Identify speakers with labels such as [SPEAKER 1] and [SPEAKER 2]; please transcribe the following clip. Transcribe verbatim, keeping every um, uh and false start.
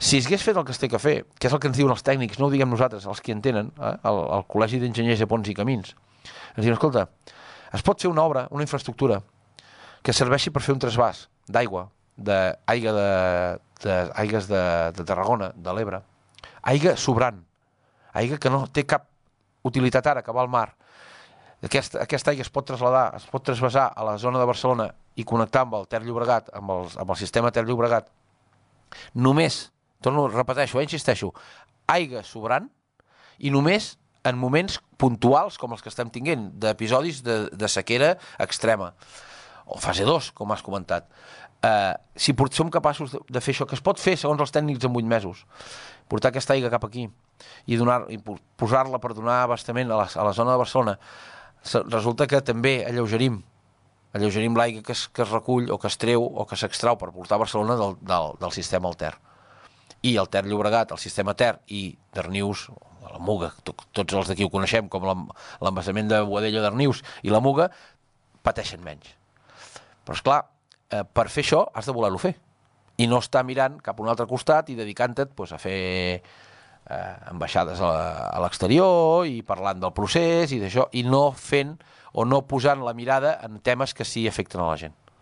[SPEAKER 1] Si s'hagués fet el que es té que fer, que és el que ens diuen els tècnics, no ho diguem nosaltres, els que en tenen, eh? el, el Col·legi d'Enginyers de Ponts i Camins, ens diuen, escolta, es pot fer una obra, una infraestructura, que serveixi per fer un trasbàs d'aigua, d'aigua de, de, aigues de, de Tarragona, de l'Ebre, aigua sobrant, aigua que no té cap utilitat ara, que va al mar. Aquesta, aquesta aigua es pot traslladar, es pot trasbasar a la zona de Barcelona i connectar amb el Ter Llobregat, amb, els, amb el sistema Ter Llobregat, només, torno, repeteixo, eh, insisteixo, aigua sobrant i només en moments puntuals com els que estem tinguent, d'episodis de, de sequera extrema, o fase dos, com has comentat. Uh, si som capaços de, de fer això, que es pot fer segons els tècnics en vuit mesos, portar aquesta aigua cap aquí i, donar, i posar-la per donar abastament a la, a la zona de Barcelona, resulta que també alleugerim alleugerim l'aigua que, es, que es recull o que es treu o que s'extrau per portar a Barcelona del, del, del sistema al Ter. I el Ter Llobregat, el sistema Ter i Darnius, la Muga, to, tots els d'aquí ho coneixem com l'embassament de Boadella, Darnius i la Muga, pateixen menys. Però esclar, eh, per fer això has de voler-ho fer i no estar mirant cap a un altre costat i dedicant-te pues, a fer eh, ambaixades a, a l'exterior i parlant del procés i d'això, i no fent o no posant la mirada en temes que sí afecten a la gent.